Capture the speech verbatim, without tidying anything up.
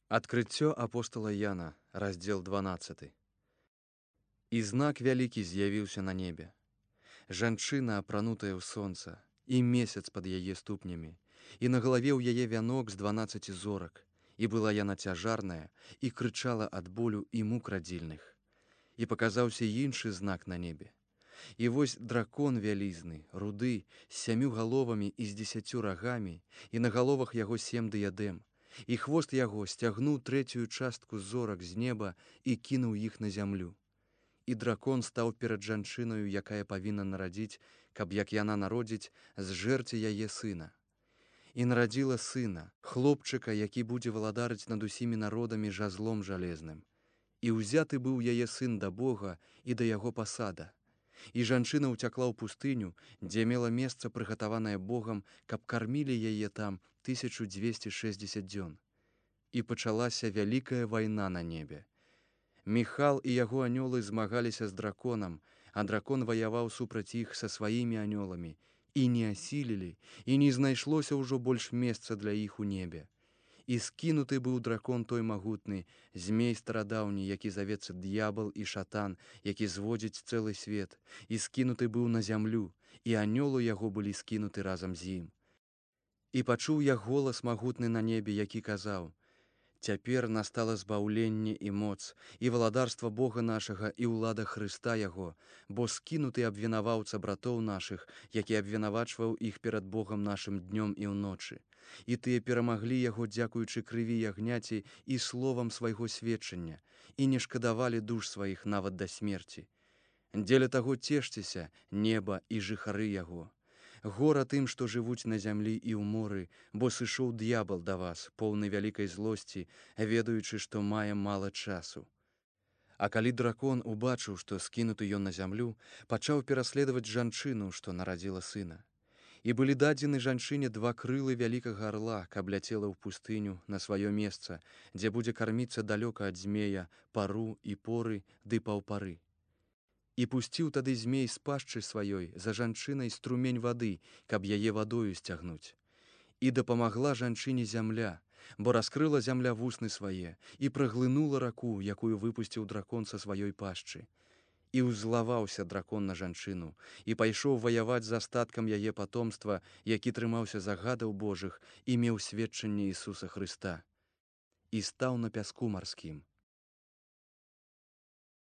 Адкрыццё апостала Яна, раздзел дванаццаты. І знак вялікі з'явіўся на небе. Жанчына, апранутая ў сонца, і месяц пад яе ступнямі, і на галаве ў яе вянок з дванаццаці зорак, і была яна цяжарная, і крычала ад болю і мук радзільных. І паказаўся іншы знак на небе. І вось дракон вялізны, руды, з сямю галовамі і з дзесяцю рагамі, і на галовах яго сем дыядэм, і хвост яго сцягнуў трэцюю частку зорак з неба і кінуў іх на зямлю. І дракон стаў перад жанчынаю, якая павінна нарадзіць, каб як яна народзіць, зжэрці яе сына. І нарадзіла сына, хлопчыка, які будзе валадарыць над усімі народамі жазлом жалезным. І ўзяты быў яе сын да Бога і да яго пасада. І жанчына ўцякла ў пустыню, дзе мела месца, прыгатаванае Богам, каб кармілі яе там тысячу дзвесце шэсцьдзесят дзён. І пачалася вялікая вайна на небе. Міхал і яго анёлы змагаліся з драконам, а дракон ваяваў супраць іх са сваімі анёламі, і не асілілі, і не знайшлося ўжо больш месца для іх у небе. І скінуты быў дракон той магутны, змей старадаўні, які завецца д'ябал і шатан, які зводзіць цэлы свет, і скінуты быў на зямлю, і анёлы яго былі скінуты разам з ім. І пачуў я голас магутны на небе, які казаў: «Цяпер настала збаўленне і моц, і валадарства Бога нашага, і ўлада Хрыста яго, бо скінуты абвінаваўца братоў нашых, які абвінавачваў іх перад Богам нашым днём і ўночы. І тыя перамаглі яго, дзякуючы крыві ягняці і словам свайго сведчання, і не шкадавалі душ сваіх нават да смерці. Дзеля таго цешцеся, неба і жыхары яго. Гора тым, што жывуць на зямлі і ў моры, бо сышоў д'ябал да вас, поўны вялікай злосці, ведаючы, што мае мала часу». А калі дракон убачыў, што скінуты ён на зямлю, пачаў пераследаваць жанчыну, што нарадзіла сына. І былі дадзены жанчыне два крылы вялікага арла, каб ляцела ў пустыню на сваё месца, дзе будзе карміцца далёка ад змея, пару і поры ды паўпары. І пусціў тады змей з пашчы сваёй за жанчынай струмень вады, каб яе вадою сцягнуць. І дапамагла жанчыне зямля, бо раскрыла зямля вусны свае і праглынула раку, якую выпусціў дракон са сваёй пашчы. І ўзлаваўся дракон на жанчыну, і пайшоў ваяваць з астаткам яе патомства, які трымаўся загадаў Божых і меў сведчанне Ісуса Хрыста. І стаў на пяску марскім.